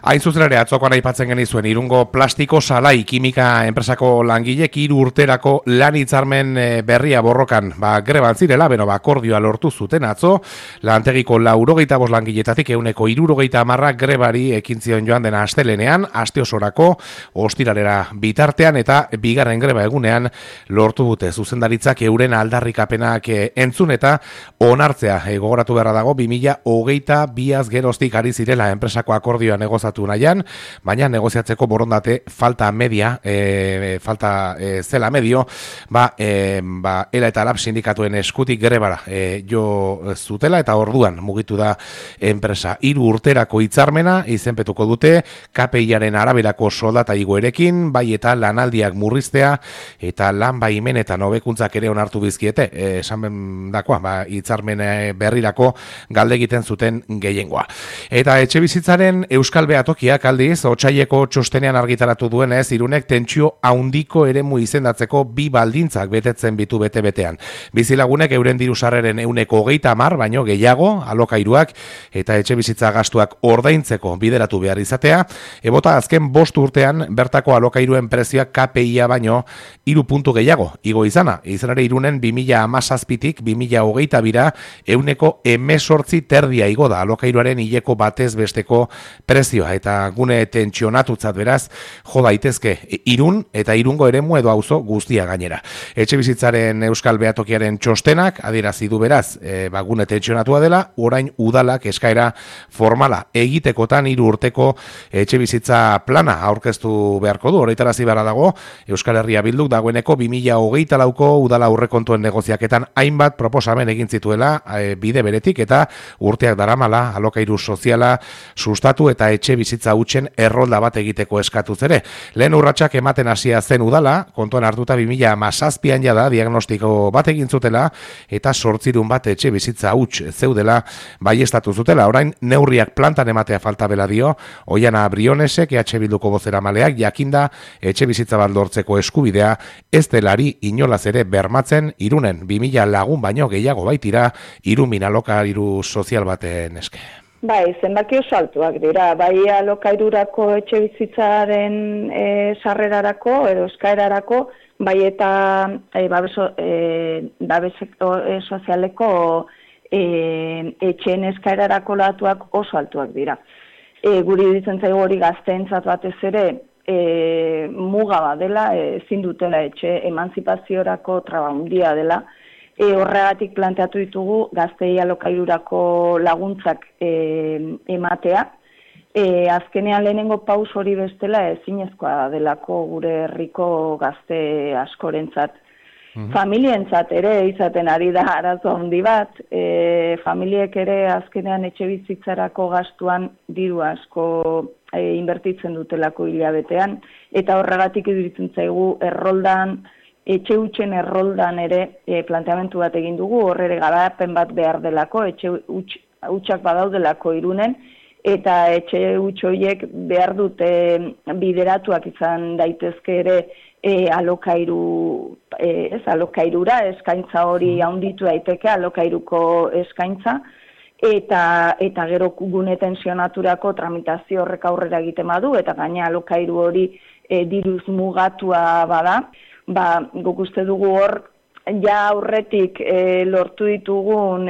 Hain zuzen ere, atzokoan aipatzen genizuen, Irungo plastiko salai kimika enpresako langilek 3 urterako lan hitzarmen berria borrokan greban zirela, akordioa lortu zuten atzo, lantegiko 85 langiletatik 170 grebari ekin zion joan dena astelenean, aste osorako, ostiralera bitartean eta bigarren greba egunean lortu dute zuzendaritzak euren aldarrikapenak entzun eta onartzea. Gogoratu beharra dago, 2022az geroztik ari zirela enpresako akordioa negozatu nahian, baina negoziatzeko borondate falta zela medio, ELA eta LAB sindikatuen eskutik grebara jo zutela eta orduan mugitu da enpresa. 3 urterako hitzarmena izenpetuko dute KPIaren araberako soldata igoerekin, bai eta lanaldiak murriztea eta lan baimenetan hobekuntzak ere onartu bizkiete, esan dakoa, hitzarmen berrirako galde egiten zuten gehiengoa. Eta etxebizitzaren Euskal Behatokiak aldiz, otsaileko txostenean argitaratu duenez, Irunek tentsio handiko eremu izendatzeko 2 baldintzak betetzen bitu bete-betean. Bizilagunek euren dirusarreren 130 baino gehiago, alokairuak eta etxebizitza gastuak ordaintzeko bideratu behar izatea, ebota azken 5 urtean bertako alokairuen prezioak KPIa baino 3 puntu gehiago igo izana. Izan ere Irunen 2017tik 2022ra 18% igo da alokairuaren hileko batez besteko prezioa eta gune tentsionatutzat beraz jo daitezke Irun eta Irungo eremu edo auzo guztia gainera. Etxebizitzaren Euskal Behatokiaren txostenak adierazi du beraz, gune tentsionatua dela, orain udalak eskaera formala egitekotan 3 urteko etxebizitza plana aurkeztu beharko du. Horretarazi beharra dago, Euskal Herria Bilduk dagoeneko 2024ko udala aurrekontuen negoziaketan hainbat proposamen egin zituela bide beretik eta urteak daramala alokairu soziala sustatu eta etxe bizitza hutsen errolda bat egiteko eskatuz ere. Lehen urratsak ematen hasia zen udala, kontuan hartuta 2017an jada diagnostiko bat egin zutela eta 800 bat etxe bizitza huts zeudela baiestatu zutela. Orain neurriak plantan ematea falta bela dio, Oiana Brionesek EH Bilduko bozeramaleak jakinda etxe bizitza bat lortzeko eskubidea ez delari inolaz ere bermatzen Irunen 2000 lagun baino gehiago baitira Irumin alokairu sozial baten eske. Bai, zenbaki oso altuak dira, bai alokairurako etxe bizitzaren sarrerarako edo eskaerarako, bai eta babes sozialeko etxeen eskaerarako datuak oso altuak dira. Guri ditzen zaigu hori gazteentzat batez ere muga bat dela, ezin dutela etxe emantzipaziorako traba handia dela. Horregatik planteatu ditugu gaztei alokairurako laguntzak ematea. Azkenean lehenengo paus hori bestela ezinezkoa delako gure herriko gazte askorentzat. Familientzat ere izaten ari da arazo handi bat, familiek ere azkenean etxe bizitzarako gastuan diru asko inbertitzen dutelako hilabetean, eta horregatik iruditzen zaigu erroldan, etxe hutsen erroldan ere planteamentu bat egin dugu, horre garapen bat behar delako, etxe hutsak badaudelako Irunen, eta etxe huts horiek behar dute bideratuak izan daitezke ere alokairura, eskaintza hori handitu daiteke, alokairuko eskaintza, eta gero gune tensionaturako tramitazio horrek aurrera egiten badu, eta gaina alokairu hori diruz mugatua bada, guk uste dugu hor, ja aurretik lortu ditugun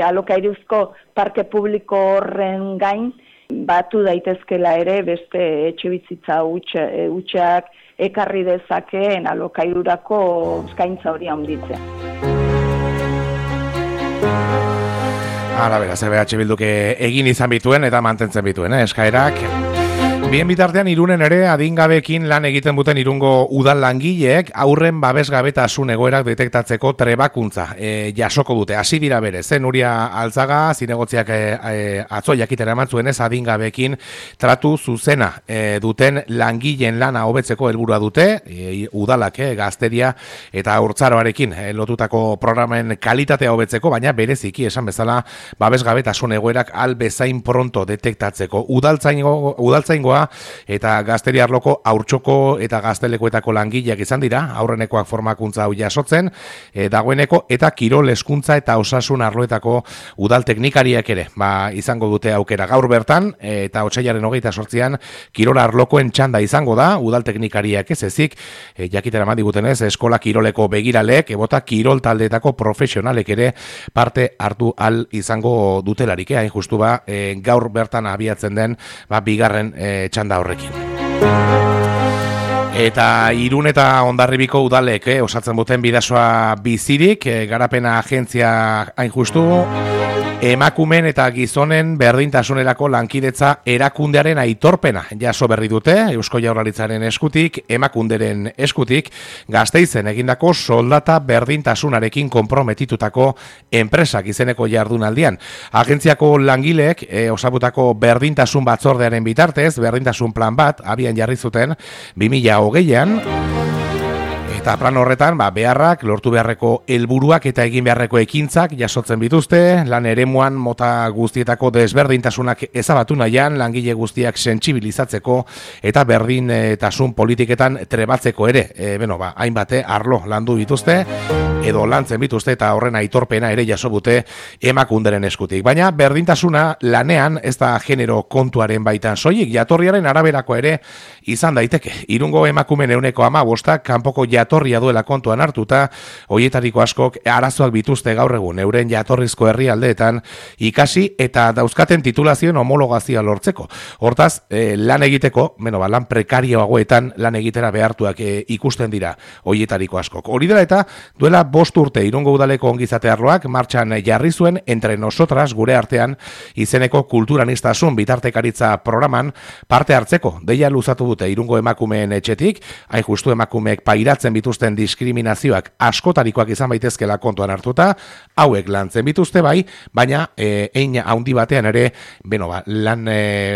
alokairuzko parke publiko horren gain, batu daitezkela ere beste etxebizitza hutsak ekarri dezakeen alokairurako eskaintza hori handitzea. Hala beraz, EH Bilduk egin izan bituen eta mantentzen bituen, eskaerak. Bien bitartean Irunen ere adingabekin lan egiten duten Irungo udal langileek aurren babesgabetasun egoerak detektatzeko trebakuntza jasoko dute. Hasi dira berez, Nuria Altzaga zinegotziak atzo jakitera eman zuenez adingabekin tratu zuzena duten langileen lana hobetzeko helburua dute, udalak gazteria eta haurtzaroarekin lotutako programen kalitatea hobetzeko, baina bereziki esan bezala babesgabetasun egoerak albezain pronto detektatzeko. Udaltzaingoa Bilbokoa eta Gazteri arloko Haurtxoko eta Gaztelekuetako langileak izan dira, aurrenekoak formakuntza hau jasotzen, dagoeneko eta kirol hezkuntza eta osasun arloetako udal teknikariak ere, izango dute aukera gaur bertan, eta otsailaren 28an kirol arlokoen txanda izango da, udal teknikariak ez ezik, jakitera eman digutenez, eskola kiroleko begiralek, ebota kirol taldeetako profesionalek ere parte hartu al izango dutelarik, hain justu gaur bertan abiatzen den bigarren txanda horrekin. Eta Irun eta Hondarribiko udalek osatzen duten Bidasoa bizirik, garapena agentzia hain justu, emakumen eta gizonen berdintasunerako lankidetza erakundearen aitorpena jaso berri dute, Eusko Jaurlaritzaren eskutik, emakunderen eskutik, Gasteizen egindako soldata berdintasunarekin konprometitutako enpresak izeneko jardunaldian. Agentziako langileek osatutako berdintasun batzordearen bitartez, berdintasun plan bat abian jarri zuten 2020an, eta plan horretan, beharrak, lortu beharreko helburuak eta egin beharreko ekintzak jasotzen bituzte, lan eremuan mota guztietako desberdintasunak ezabatu nahian, langile guztiak sentsibilizatzeko eta berdintasun politiketan trebatzeko ere. Hainbate arlo landu bituzte, edo lantzen bituzte eta horren aitorpena ere jaso dute emakunderen eskutik. Baina berdintasuna lanean ez da genero kontuaren baitan soilik, jatorriaren araberako ere izan daiteke. Irungo emakumen 15% kanpoko jatorria duela kontuan hartuta, hoietariko askok arazoak bituzte gaur egun euren jatorrizko herrialdeetan ikasi eta dauzkaten titulazioen homologazioa lortzeko. Hortaz, lan egiteko, lan prekarioagoetan lan egitera behartuak ikusten dira hoietariko askok. Hori dela eta duela 5 urte Irungo udaleko ongizate arloak martxan jarri zuen Entre Nosotras gure artean izeneko kulturanistasun bitartekaritza programan parte hartzeko. Deia luzatu dute Irungo emakumeen etxetik, hain justu emakumeek pairatzen bituzten diskriminazioak askotarikoak izan baitezkela kontuan hartuta, hauek lantzen bituzte baina hein handi batean ere, lan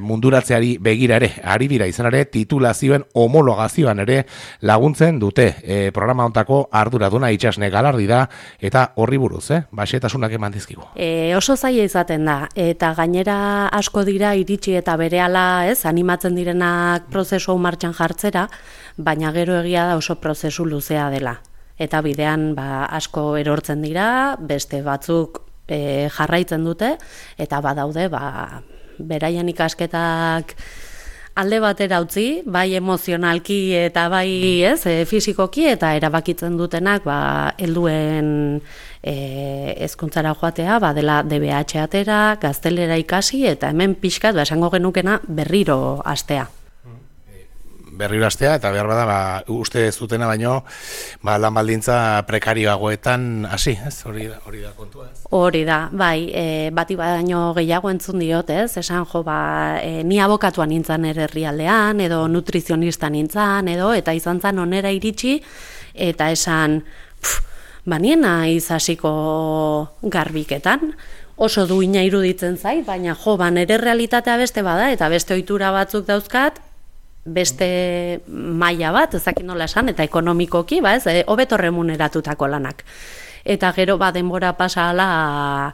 munduratzeari begira ere, ari dira izan ere, titulazioen homologazioan ere laguntzen dute. Programa hontako arduraduna Itsasne Galardi da, eta horri buruz, xehetasunak eman dizkigu. Oso zaila izaten da, eta gainera asko dira iritsi eta berehala animatzen direnak prozesu martxan jartzera, baina gero egia da oso prozesu luzea dela. Eta bidean asko erortzen dira, beste batzuk jarraitzen dute, eta badaude beraien ikasketak alde batera utzi, bai emozionalki eta bai fisikoki, eta erabakitzen dutenak helduen hezkuntzara joatea, dela DBH atera, gaztelera ikasi, eta hemen pixkat, esango genukena berriro hastea. Berriro hastea, eta behar bada, uste zutena baino, lan baldintza prekarioagoetan hasi, hori da kontua, Hori da, bai, bati baino gehiago entzun diot, esan ni abokatua nintzen herrialdean, edo nutrizionista nintzen, eta izan zen onera iritsi, eta esan, niena izasiko garbiketan, oso duina iruditzen zait, baina nere realitatea beste bada, eta beste ohitura batzuk dauzkat, beste maila bat, ezakit nola esan, eta ekonomikoki, hobeto remuneratutako lanak. Eta gero denbora pasa ala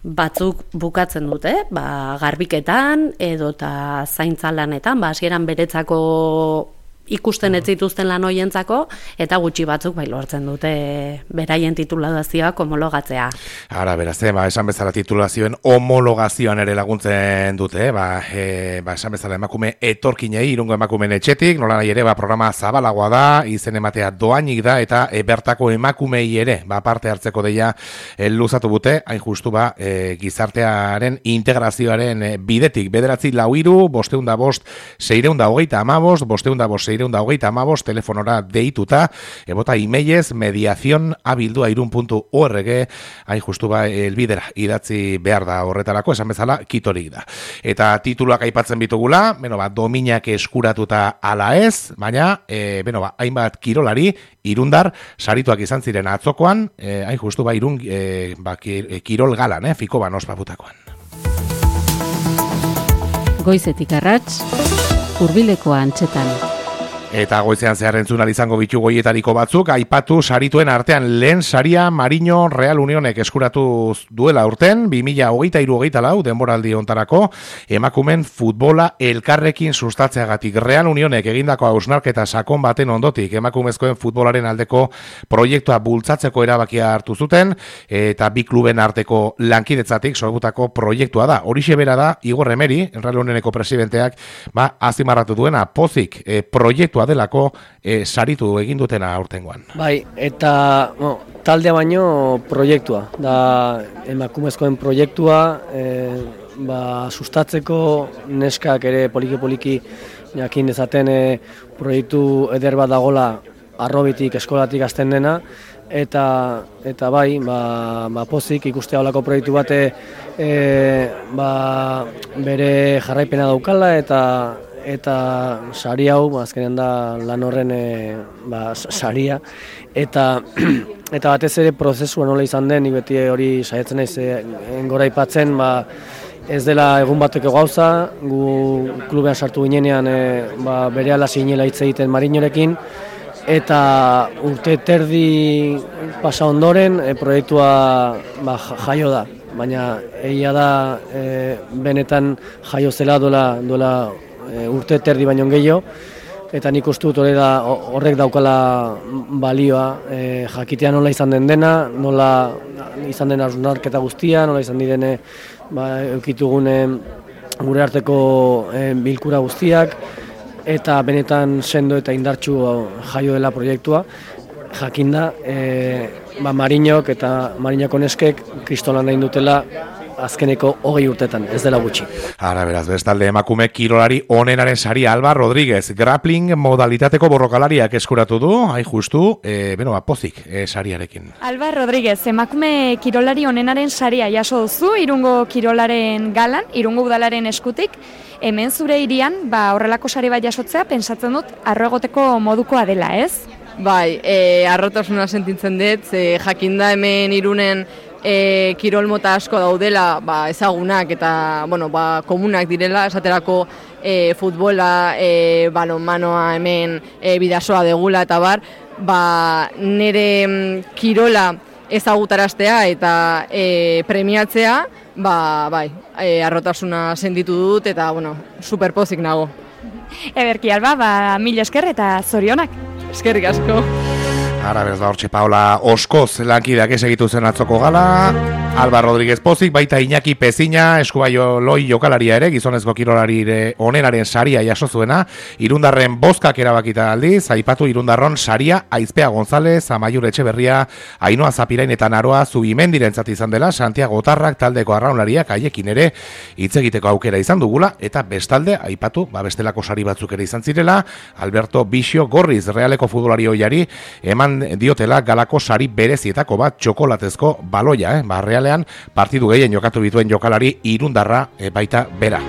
batzuk bukatzen dute, garbiketan edo eta zaintza lanetan, hasieran beretzako ikusten ez zituzten lan hoientzako, eta gutxi batzuk lortzen dute beraien titulazioak homologatzea. Ara, beraz, esan bezala titulazioen homologazioan ere laguntzen dute, esan bezala emakume etorkinei, Irungo emakumeen etxetik, nola nahi ere, programa zabalagoa da, izen ematea doainik da, eta bertako emakumei ere, parte hartzeko deia luzatu dute, hain justu gizartearen integrazioaren bidetik, 943 505 625, 505 625 telefonora deituta, ebota emailez mediacion@irun.org, hain justu elbidera idatzi behar da horretarako, esan bezala kitorik da. Eta tituluak aipatzen bitugula, dominak eskuratuta ala ez, baina, hainbat kirolari, Irundar, sarituak izan ziren atzokoan, hain justu Irun kirol galan, Fikoban ospaputakoan. Goizetik arrats, Hurbileko antxetan. Eta goizean zehar entzun izango bitu goietariko batzuk, aipatu sarituen artean lehen saria Mariño Real Unionek eskuratu duela urten, 2023-2024 denboraldi hontarako, emakumen futbola elkarrekin sustatzeagatik. Real Unionek egindako hausnarketa sakon baten ondotik, emakumezkoen futbolaren aldeko proiektua bultzatzeko erabakia hartu zuten, eta bi kluben arteko lankidetzatik sortutako proiektua da. Horixe bera da, Igor Emeri, Real Unioneko presidenteak, azimarratu duena, pozik proiektua delako saritu egin dutena aurtengoan. Bai, eta taldea baino proiektua, da emakumezkoen proiektua, sustatzeko neskak ere poliki-poliki jakin dezaten proiektu eder bat dagola arrobitik, eskolatik hasten dena, eta bai, pozik ikustea olako proiektu bate bere jarraipena daukala eta sari hau, azkenean da lan horren saria, eta batez ere prozesua nola izan den, beti hori saiatzen naiz gora aipatzen, ez dela egun bateko gauza, gu klubean sartu ginenean berehala zinela hitz egiten Mariñorekin, eta urte terdi pasa ondoren proiektua jaio da, baina egia da benetan jaio zela duela urte terdi baino gehiago, eta nik uste dut horrek daukala balioa, jakitea nola izan den dena, nola izan den hausnarketa guztia, nola izan diren eukitugune gure arteko bilkura guztiak, eta benetan sendo eta indartsu jaio dela proiektua, jakinda Mariñok eta Mariñoko neskek kristolan egin dutela azkeneko 20 urtetan, ez dela gutxi. Ara beraz, bestalde emakume kirolari onenaren saria Alba Rodríguez, grappling modalitateko borrokalariak eskuratu du, justu, pozik sariarekin. Alba Rodríguez, emakume kirolari onenaren saria jaso duzu, Irungo kirolaren galan, Irungo udalaren eskutik, hemen zure hirian, horrelako sari bat jasotzea, pentsatzen dut, arro egoteko modukoa dela, ez? Bai, arrotasuna sentitzen dut, jakinda hemen Irunen kirol mota asko daudela ezagunak eta komunak direla, esaterako futbola, balonmanoa hemen bidasoa degula eta nire kirola ezagutaraztea eta premiatzea, arrotasuna sentitu dut eta superpozik nago. Ederki Alba, mila esker eta zorionak. Eskerrik asko. Ara beraz hortxe Paola Oskoz lankideak esegitu zen atzoko gala, Alba Rodríguez pozik, baita Iñaki Pezina, eskubaio loi jokalaria ere, gizonezko kirolari onenaren saria jaso zuena, Irundarren bozkak erabakita aldiz, aipatu Irundarron saria Aizpea González, Amaiur Etxeberria, Ainhoa Zapirain eta Naroa Zubimendirentzat izan dela, Santiago Otarrak taldeko arraunlariak haiekin ere hitz egiteko aukera izan dugula, eta bestalde, aipatu, bestelako sari batzuk ere izan zirela, Alberto Bixio Gorriz, Realeko futbolari oiari, eman diotela galako sari berezietako bat txokolatezko baloia, Realean partidu gehien jokatu bituen jokalari Irundarra baita bera.